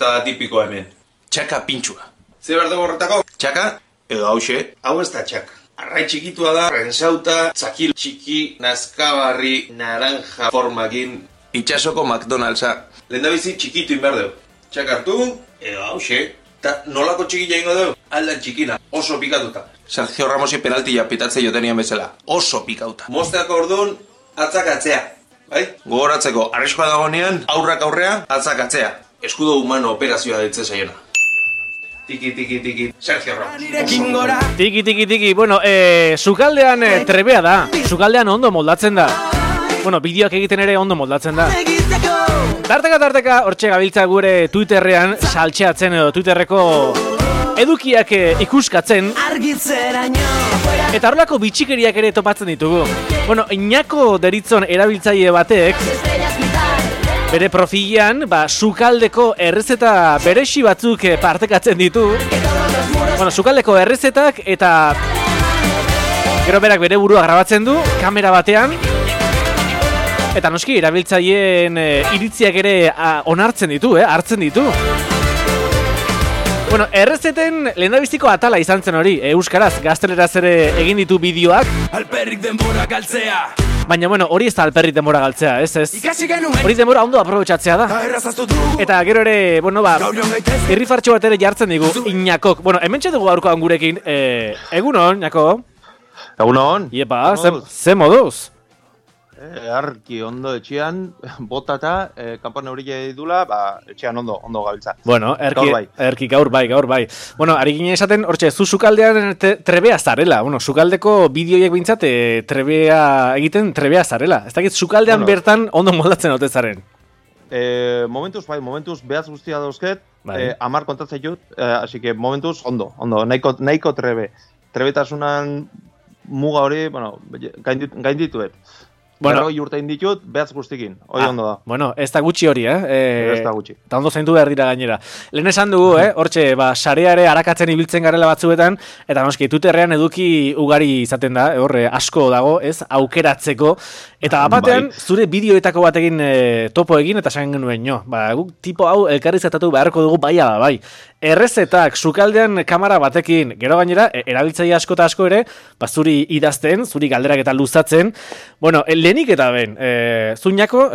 Eta tipiko hemen. Txaka pintxua. Ze behar dugu horretako? Txaka, edo hause. Hau ez da txaka. Arrai txikitua da, rensauta, txakil txiki, nazkabarri, naranja formakin. Itxasoko McDonald'sa. Lehendabizi txikitu inber dugu. Txaka hartu, edo hause. Eta nolako txikila ingo dugu? Aldan txikina, oso pikatuta. Sergio Ramosi penaltia pitatze jotenien bezala. Oso pikauta. Mozteako orduan, atzakatzea. Bai? Gogoratzeko, arriskoa dagoenean, aurrak aurrea, atzakatzea. Eskudo humano operazioa ditze zaiona. Tiki, tiki, tiki, Sergio Ramos. Tiki, tiki, tiki. Bueno, sukaldean trebea da. Sukaldean ondo moldatzen da. Bueno, bideoak egiten ere ondo moldatzen da. Tarteka, hortxe gabiltza gure Twitterrean saltxeatzen edo Twitterreko edukiak ikuskatzen. Eta horrelako bitxikeriak ere topatzen ditugu. Bueno, Iñako deritzon erabiltzaile batek bere profilean, sukaldeko errezeta beresi batzuk partekatzen ditu. Bueno, sukaldeko errezetak eta gero berak bere burua grabatzen du, kamera batean. Eta noski, erabiltzaileen iritziak ere onartzen ditu, hartzen ditu. Bueno, errezeten lehendabiziko atala izan zen hori, euskaraz, gazteleraz ere egin ditu bideoak. Alperrik denbora galtzea. Baina, bueno, hori ez da alperrik denbora galtzea, ez? Hori denbora ondo aprobetxatzea da. Eta gero ere, bueno, irrifartxo bat ere jartzen digu, Iñakok. Bueno, hemen txetugu gaurkoan gurekin, egunon, Iñako? Egunon. Iepa, ze moduz? Arki ondo etxean, botata, kanpon eurila edula, etxean ondo gabiltza. Bueno, erki gaur bai. Bueno, ari ginen esaten, hortxe, zu sukaldean trebea zarela. Bueno, sukaldeko bideoiek bintzat, trebea zarela. Ez dakit, sukaldean bertan ondo moldatzen ote zaren. Momentuz behaz guztia dauzket, 10 kontatzen jut, así que momentuz ondo, nahiko trebetasunan muga hori, gaindituet. Bueno, urte inditut, behaz guztikin, hori ondo da. Bueno, ez da gutxi hori, Ez da gutxi. Eta ondo zaintu behar dira gainera. Lehen esan dugu, hortxe, sareare arakatzen ibiltzen garela batzuetan, eta noski, Twitterrean eduki ugari izaten da, asko dago, ez, aukeratzeko. Eta batean, zure bideoetako batekin topo egin, eta esan genuen, guk tipo hau elkarrizatatu beharko dugu bai. Errezetak sukaldean kamera batekin, gero gainera, erabiltzaile asko eta asko ere, zuri idazten, zuri galderak eta luzatzen. Bueno, lehenik eta ben, Zuñako,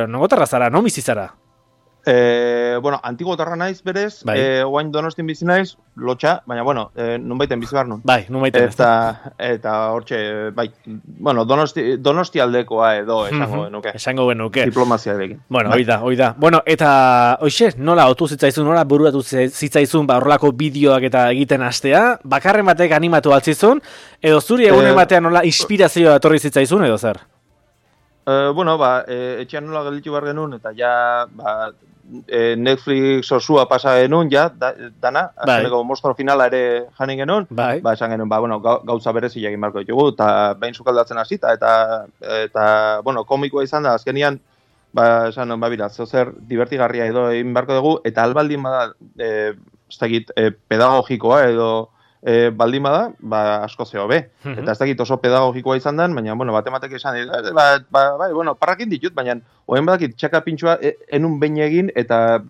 nogotarra zara, no bizi zara? Bueno, antiguotarra naiz berez, oain Donostin bizi naiz, lotxa, baina, bueno, nunbaiten bizi behar nun. Bai, nunbaiten. Eta hortxe, bueno, Donosti aldekoa edo esango genuke. Diplomazia erekin. Bueno, hoi da. Bueno, eta, hoxe, nola otu zitzaizun, nola buruatu zitzaizun, horrelako bideoak eta egiten hastea, bakarren batek animatu altzizun, edo zuri egunen batean nola inspirazioa etorri zitzaizun, edo zer? Bueno, etxean nola gelditu behar genuen, eta ja, Netflix osua pasa genuen, ja, dana, azkeneko monstro finala ere janin genuen, esan genuen, bueno, gauza berezi egin beharko ditugu, eta behin sukaldatzen hasita, eta, bueno, komikoa izan da, azkenian, esan, bira, zer divertigarria edo egin beharko dugu, eta albaldin bada, ez dakit, pedagogikoa edo, baldin bada, asko zeo be. Eta ez dakit oso pedagogikoa izan den, baina, bueno, batematek esan, bueno, parrakin ditut, baina, oen badakit txaka pintxua enun behin egin, eta,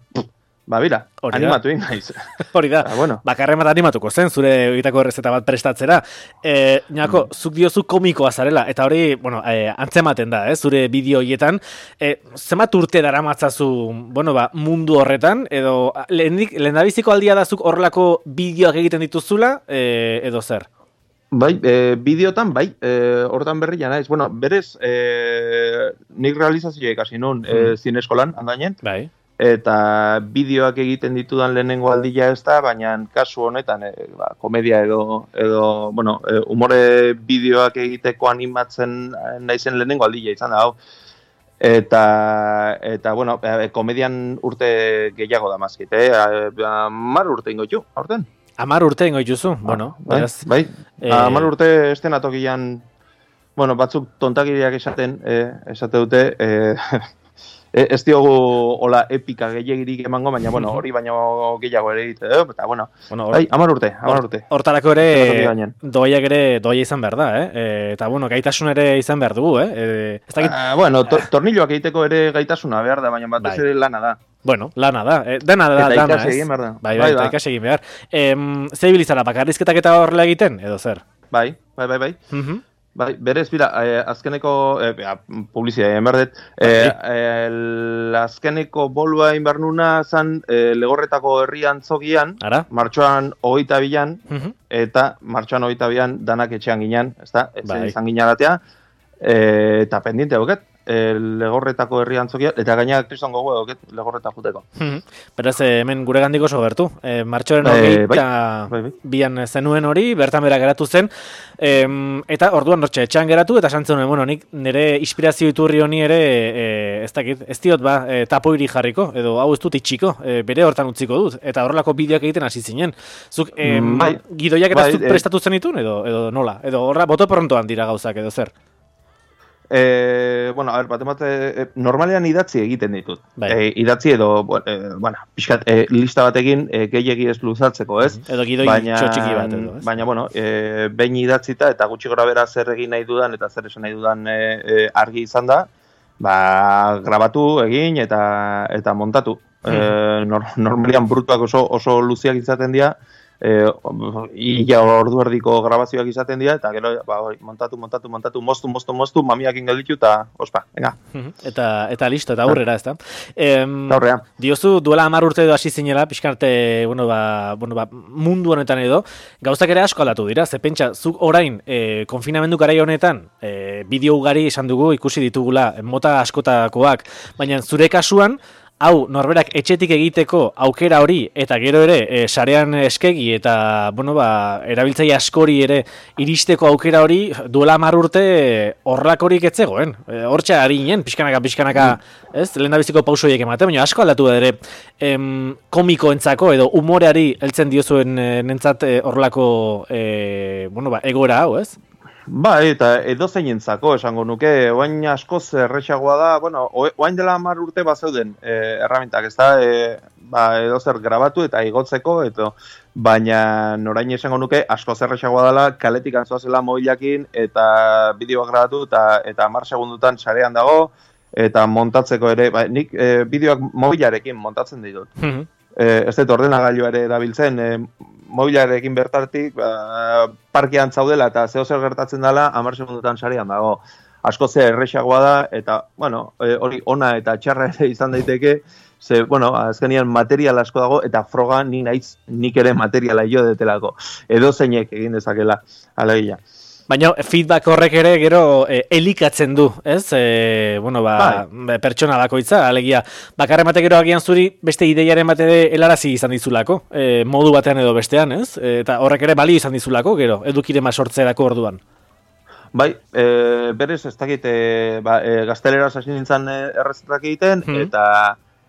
bira, animatu egin naiz. Hori da, bakarren bat animatuko zen, zure egitako errezeta bat prestatzera. Niako, zuk diozu komikoa zarela, eta hori, bueno, antzematen da, zure bideoietan. Zenbat urte daramatzazu, bueno, mundu horretan, edo lehendabiziko aldia da zuk horrelako bideoak egiten dituzula, edo zer? Bai, bideotan, hortan berria naiz. Bueno, berez, nik realizazioa ikasi nun zineskolan, handainen. Bai. Eta bideoak egiten ditudan lehenengo aldia ez da, baina kasu honetan komedia edo bueno, umore bideoak egiteko animatzen naizen lehenengo aldia izan da, hau. Eta bueno, komedian urte gehiago da mazkit, 10 urte ingo ditu, aurten. 10 urte ingo dituzu, bueno. Bai, 10 urte estenatokian, bueno, batzuk tontakiriak esate dute, ez diogu hola epika gehiagirik emango, baina, bueno, hori baino gehiago ere egite, eta, bueno, 10 urte. Hortarako ere, doaiak ere doaia izan behar da, eta, bueno, gaitasun ere izan behar dugu, Bueno, tornilloak egiteko ere gaitasuna behar da, baina batez ere lana da. Bueno, lana da, dana da, eta dana, ikasi egin behar da. Bai, eta ikasi egin behar. Ze bilizara, bakarrizketak eta horrela egiten, edo zer? Bai. Bai, berez, bira, azkeneko, publizia egin behar dut, azkeneko bolua egin behar nuna zan Legorretako herrian zogian, martxoan 22an, eta martxoan 22an danak etxean ginen, ezta, izan ginaratea, eta pendiente hauket, Legorretako herrian zogia, eta gainak kriston gogo dauket Legorreta juteko. Beraz, hemen gure gandik oso gertu. Martxoren 22an zenuen hori, bertan bera geratu zen, eta orduan hortxe, etxean geratu, eta santzen nuen, bueno, nik nire inspirazio iturri honi ere, ez dakit, ez diot tapoiri jarriko, edo hau ez dut itxiko, bere hortan utziko dut, eta horrelako bideoak egiten hasi zinen. Zuk, gidoiak eta zuk prestatu zenitun, edo nola? Edo horra, boto prontoan dira gauzak, edo zer? Bueno, a ver, bat normalean idatzi egiten ditut. Idatzi edo, pixkat, lista batekin gehiegi ez luzatzeko, ez? Edo gidoi txotxiki bat edo, ez? Baina, bueno, behin idatzita eta gutxi gora bera zer egin nahi dudan eta zer esan nahi dudan argi izan da, grabatu egin eta montatu. Normalean brutuak oso luziak izaten dira, ia ordu erdiko grabazioak izaten dira, eta gero montatu, moztu, mamiakin gelditu, eta ospa, venga. Eta listo, eta aurrera, ez da? Aurrera. Diozu, duela 10 urte edo hasi zinela, pixkarte, mundu honetan edo, gauzak ere asko aldatu dira, ze pentsa, zuk orain, konfinamendu garai honetan, bideo ugari esan dugu, ikusi ditugula, mota askotakoak, baina zure kasuan, hau, norberak etxetik egiteko aukera hori, eta gero ere, sarean eskegi, eta, erabiltzaile askori ere iristeko aukera hori, duela 10 urte horrelakorik etzegoen. Hortxa ari ginen, pixkanaka, ez? Lehendabiziko pausoiek ematen, baina asko aldatu da ere, komikoentzako edo umoreari heltzen diozuen nentzat horrelako, egoera hau, ez? Eta edozeinentzako esango nuke, oain askoz errexagoa da, oain dela 10 urte bazeuden erramintak, ez da, edozer grabatu eta igotzeko, baina orain esango nuke askoz errexagoa dela, kaletik antzoazela mobilakin eta bideoak grabatu eta 10 segundutan sarean dago, eta montatzeko ere, nik bideoak mobilarekin montatzen ditut. Ez dut ordenagailu ere erabiltzen, mobilarekin bertartik parkean zaudela eta zehozer gertatzen dela 10 segundutan sarean dago. Asko ze errexagoa da eta, hori ona eta txarra ere izan daiteke, ze, azkenian material asko dago eta froga nik ere materiala jo detelako. Edo zeinek egin dezakela, alegia. Baina feedback horrek ere gero elikatzen du, ez? Pertsona bakoitza, alegia. Bakarren bate gero agian zuri beste ideiaren bate helarazi izan dizulako, modu batean edo bestean, ez? Eta horrek ere balio izan dizulako, gero, edukirema sortzerako orduan. Bai, berez ez dakit, gazteleraz hasi nintzen errezetak egiten,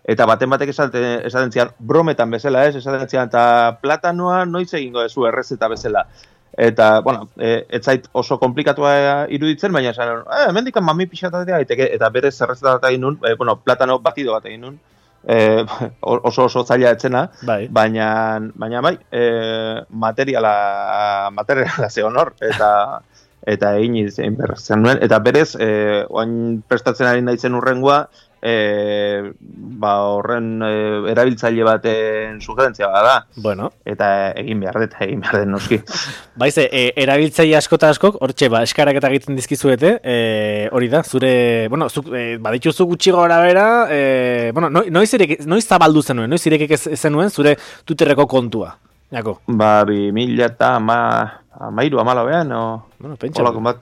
eta batek esaten zian, brometan bezala, ez? Esaten zian, eta platanoa noiz egingo dezu errezeta bezala. Eta, ez zait oso komplikatua iruditzen, baina esan, mendikan mami pixatatea daiteke, eta berez errezeta bat egin nun, platano batido bat egin nun, oso zaila etzena, baina bai, materiala zegoen hor, eta egin izan berrezen nuen, eta berez, oain prestatzen ari naizen urrengoa, horren erabiltzaile baten sugerentzia bada. Eta egin behar dut noski. Baize, erabiltzaile askok, hortxe, eskarak eta egiten dizkizuete, hori da, zure, badituzu gutxi gora bera, noiz zabaldu zenuen, noiz irekik zenuen zure Twitterreko kontua? Jako? 2013-2014, olakon bat.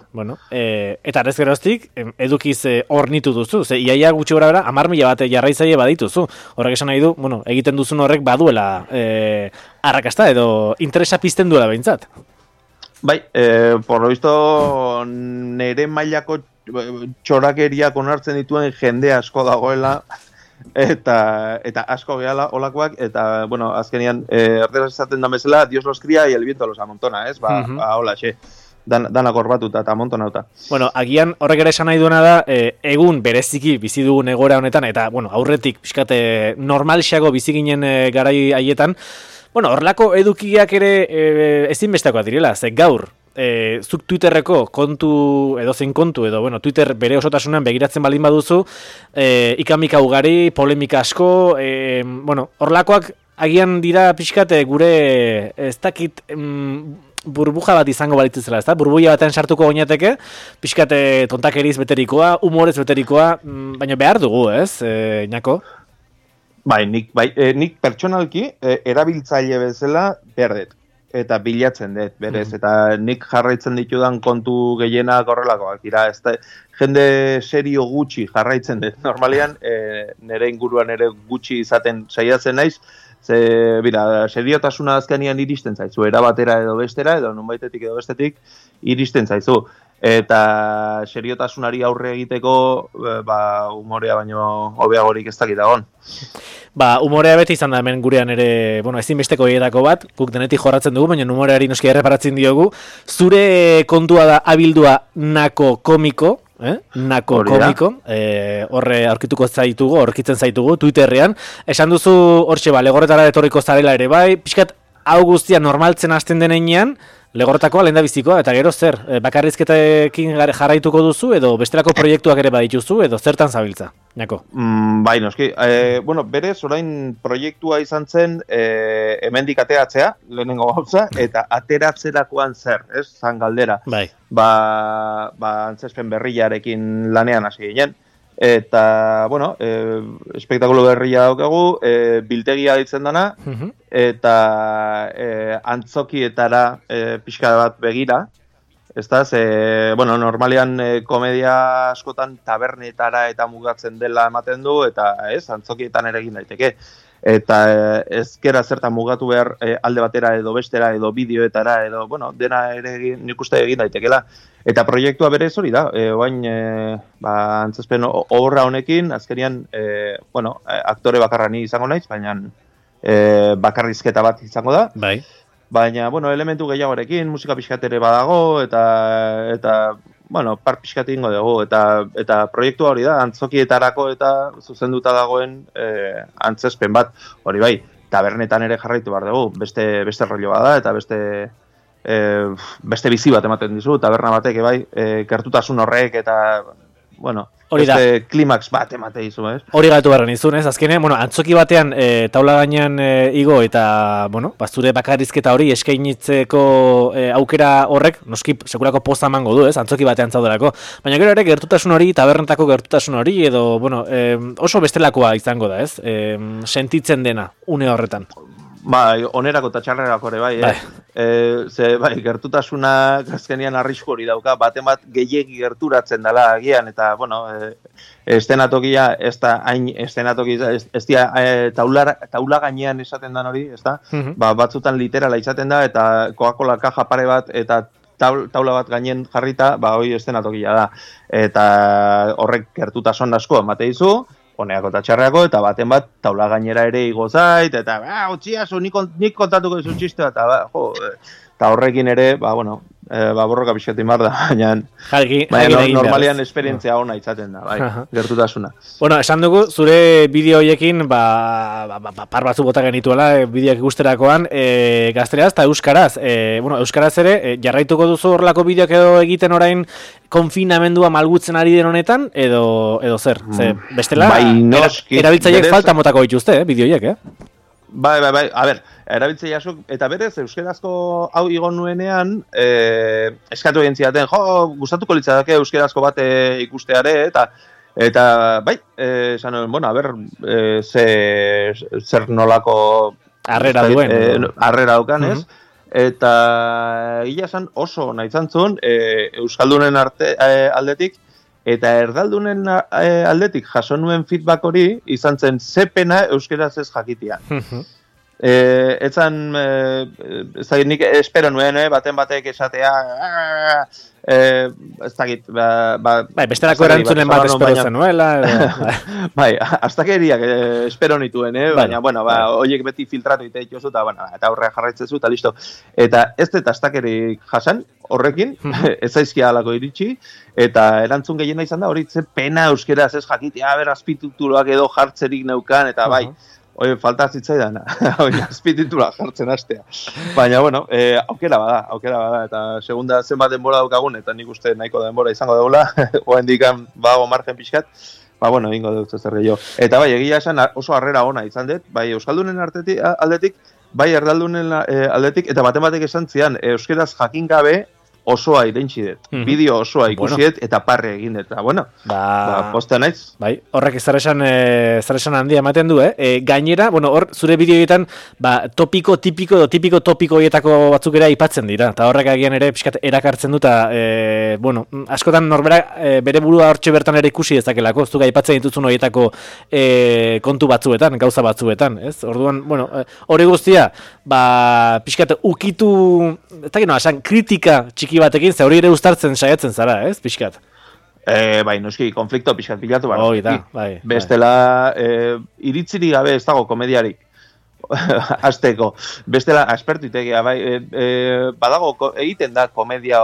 Eta arrez geroztik, edukiz hornitu duzu, iaia gutxi gora bera, 10.000 bat jarraitzaile badituzu. Horrek esan nahi du, egiten duzun horrek baduela arrakasta edo interesa pizten duela behintzat. Bai, por lo visto, nere mailako txorakeriak onartzen dituen jende asko dagoela, eta asko gehala olakoak, eta, azkenian, erderaz esaten da bezala, Dios los cría y el viento los amontona, ez? Hola, danak horbatuta eta amontonauta. Agian horrek ere esan nahi duena da, egun bereziki bizi dugun egora honetan, eta, aurretik, pixkate, normalxago bizi ginen garai haietan, horrelako edukiak ere ezinbestakoa direla, ze gaur, zuk Twitterreko kontu, edo zein kontu, edo, bueno, Twitter bere osotasunan begiratzen baldin baduzu, ikamika ugari, polemika asko, bueno, horlakoak agian dira pixkat gure, ez dakit, burbuja bat izango balitzela, ezta? Burbuia batean sartuko goinateke, pixkat tontakeriz beterikoa, humorez beterikoa, baina behar dugu, ez, Ñako? Nik pertsonalki erabiltzaile bezala berdet. Eta bilatzen dut, berez, eta nik jarraitzen ditudan kontu gehienak horrelakoak, ez da, jende serio gutxi jarraitzen dut, normalean, nire inguruan ere gutxi izaten saiatzen naiz, seriotasuna azkenean iristen zaizu, erabatera edo bestera, edo nunbaitetik edo bestetik iristen zaizu, eta seriotasunari aurre egiteko, humorea baino hobeagorik ez dakit dagoen. Humorea beti izan da hemen gurean ere, bueno, ezinbesteko hietako bat, guk denetik jorratzen dugu, baina humoreari noski erreparatzen diogu. Zure kontua da abildua Nako komiko, Nako komiko, horre aurkituko zaitugu, aurkitzen zaitugu, Twitterrean. Esan duzu, hortxe, legorretara etorriko zarela ere bai, pixkat hau guztia normaltzen hasten denean, legorretakoa lehen da bizikoa, eta gero zer, bakarrizketekin jarraituko duzu, edo bestelako proiektuak ere badituzu, edo zertan zabiltza, Ñako? Bai, noski. Berez, orain proiektua izan zen hemendik ateratzea, lehenengo gauza, eta ateratzerakoan zer, ez, zan galdera. Bai. Antzespen berriarekin lanean hasi ginen. Eta, bueno, espektakulo berria daukagu, biltegia ditzen dana, eta antzokietara pixka bat begira, ez da, bueno, normalean komedia askotan tabernetara eta mugatzen dela ematen du, eta antzokietan ere egin daiteke. Eta ezkera zertan mugatu behar alde batera edo bestera edo bideoetara edo, bueno, dena ere nik uste egin daitekela. Eta proiektua berez hori da, oain antzespen obra honekin, azkenian, bueno, aktore bakarra ni izango naiz, baina bakarrizketa bat izango da. Bai. Baina, bueno, elementu gehiagorekin, musika pixkatere badago, eta bueno, par pixkat ingo dugu, eta proiektua hori da, antzokietarako eta zuzenduta dagoen antzespen bat, hori bai, tabernetan ere jarraitu behar dugu, beste rollo bada, eta beste bizi bat ematen dizu, taberna batek, bai, gertutasun horrek, eta, bueno, beste klimaks bat emate dizu, ez? Hori gaitu barren izun, ez? Azkenean, bueno, antzoki batean taula gainean igo eta, bueno, zure bakarrizketa hori eskainitzeko aukera horrek, noski, sekulako poza emango du, ez? Antzoki batean zaudelako. Baina gero ere, gertutasun hori, tabernetako gertutasun hori, edo, bueno, oso bestelakoa izango da, ez? Sentitzen dena, une horretan. Bai, onerako eta txarrerako ere, bai, bai, gertutasuna azkenean arrisku hori dauka, baten bat gehiegi gerturatzen dela agian, eta, bueno, estenatokia, ez da, hain estenatokia, ez dira, taula gainean esaten den hori, ez da, batzutan literala izaten da, eta Coca-Cola kaja pare bat, eta taula bat gainen jarrita, hori estenatokia da, eta horrek gertutasun asko emate dizu, honeako eta txarreako, eta baten bat taula gainera ere igo zait, eta utziazu, nik kontatuko dizu txistea, eta horrekin ere, bueno, borroka pixetin bar da, baina normalian esperientzia ona izaten da, bai, gertutasuna. Bueno, esan dugu, zure bideo horiekin, par batzu bota genituela, bideoak ikusterakoan, gazteraz eta euskaraz. Bueno, euskaraz ere, jarraituko duzu horrelako bideoak edo egiten orain konfinamendua malgutzen ari den honetan, edo zer? Bestela, erabiltzaileek falta motako dituzte, bideoiek, Bai, a ber, erabiltzea jasuk, eta berez, euskerazko hau igon nuenean, eskatu egin zidaten, gustatuko litzateke euskerazko bat ikusteare, eta bai, esan nuen, bueno, a ber, zer nolako harrera duen. Harrera daukan, ez? Eta gila esan oso nahi zantzun, euskaldunen aldetik, eta erdaldunen aldetik jaso nuen feedback hori izan zen zepena euskeraz ez jakitia. Etzan, ez dakit nik espero nuen, baten batek esatea, ez dakit, bestelako erantzunen bat espero zenuela. Bai, astakeriak espero nituen, baina, bueno, horiek beti filtratu ite dituzu, eta horrea jarraitzezu, eta listo. Eta ez dut astakerik jasan, horrekin, ez zaizkia alako iritsi, eta erantzun gehiena izan da, hori ze pena euskeraz ez jakitea, azpitituloak edo jartzerik neukan, eta bai, falta zitzaidan, azpititula jartzen hastea. Baina, bueno, aukera bada, eta segunda zenbat denbora daukagun, eta nik uste nahiko denbora izango daula, oendikan bago margen pixkat, bueno, ingo dut zer gehiago. Eta bai, egia esan oso harrera ona izan dut, bai, euskaldunen aldetik, bai, erdaldunen aldetik, eta baten esan zian, euskeraz jakin gabe, osoa irentsi dut, bideo osoa ikusiet eta parre egin dut, eta bueno, postea naiz. Bai, horrek zaresan handia ematen du, gainera, bueno, hor, zure bideoetan, tipiko horietako batzuk ere aipatzen dira, eta horrek agian ere pixkat erakartzen du, eta, bueno, askotan norberak bere burua hortxe bertan ere ikusi dezakelako, zuga aipatzen dituzun horietako kontu batzuetan, gauza batzuetan, ez? Orduan, bueno, hori guztia, pixkat ukitu, eta gino, asan, kritika txiki batekin, ze hori ere uztartzen saiatzen zara, ez, pixkat? Bai, noski, konflikto pixkat pilatu bara. Bai. Bestela, iritziri gabe ez dago komediarik. Azteko. Bestela, aspertu itegia, bai, badago, egiten da komedia,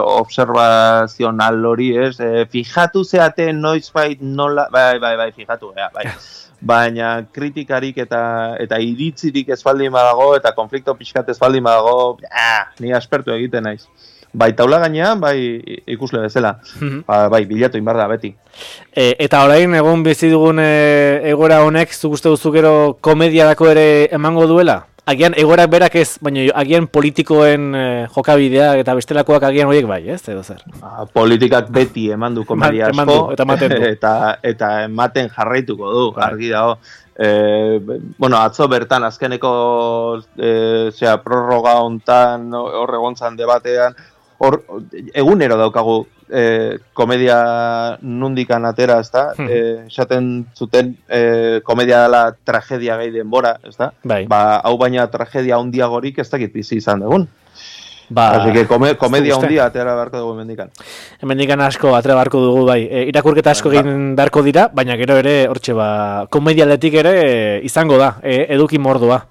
observazional hori, ez, fijatu zeate noizbait nola, bai, fijatu, bai. Baina kritikarik eta iritzirik ez baldin badago, eta konflikto pixkat ez baldin badago, ni aspertu egiten naiz. Bai, taula gainean, bai, ikusle bezala. Bai, bilatu inbar da, beti. Eta orain, egun bizi dugun egoera honek, zuk uste duzu gero komediarako ere emango duela? Agian egoerak berak ez, baina agian politikoen jokabidea eta bestelakoak agian horiek bai, ez? Edo zer? Politikak beti eman du komedia asko, eta ematen jarraituko du, argi dago. Bueno, atzo bertan azkeneko prorroga hontan hor egontzan debatean, hor egunero daukagu komedia nundikan atera, ezta? Esaten zuten komedia dela tragedia gehi denbora, ezta? Bai. Hau baina tragedia handiagorik ez dakit bizi izan dugun. Así que komedia handia atera beharko dugu hemendikan. Hemendikan asko atera beharko dugu, bai. Irakurketa asko egin beharko dira, baina gero ere hortxe komedialetik ere izango da, eduki mordua.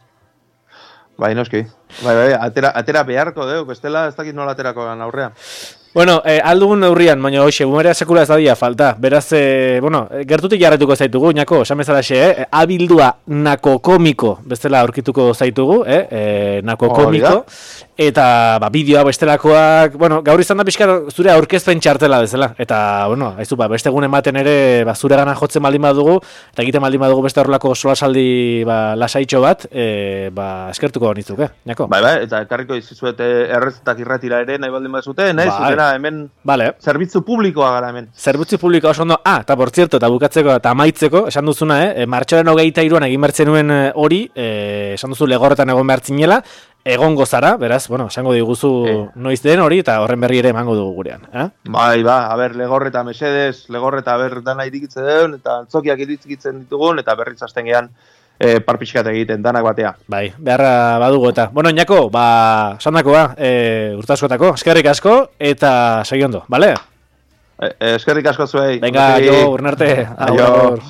Bai, noski. Bai, atera beharko dugu, bestela ez dakit nola aterako gan aurrean. Bueno, aldugun neurrian, baina hoxe, bumerea sekula ez dadia falta. Beraz, bueno, gertutik jarretuko zaitugu, nako, esamezalaxe, abildua nako komiko, bestela aurkituko zaitugu, nako komiko, eta bideoa bestelakoak, bueno, gaur izan da pixka zure aurkezpen txartela bezala, eta, bueno, haizu, beste egun ematen ere, zure gana jotzen baldin badugu, eta egiten baldin badugu beste horrelako solasaldi lasaitxo bat, eskertuko nitzuk, nako? Bai, eta ekarriko izizuet errezetak irratira ere, nahi baldin bazute, nahi, hemen zerbitzu publikoa gara hemen. Zerbitzu publikoa oso ondo, eta por cierto, eta bukatzeko eta amaitzeko, esan duzuna, martxoaren 23an egin bertzen nuen hori, esan duzu legorretan egon behartzinela, egongo zara, beraz, bueno, esango diguzu noiz den hori, eta horren berri ere emango dugu gurean. Bai, legorreta mesedez, legorreta dana irikitze den, eta antzokiak irikitzen ditugun, eta berriz hasten gehan, parpixkat egiten, danak batea. Bai, beharra badugu eta. Bueno, Iñako, sandakoa, urtaskotako, eskerrik asko, eta segi ondo, bale? Eskerrik asko zuei. Venga, jo, urnarte. Aio.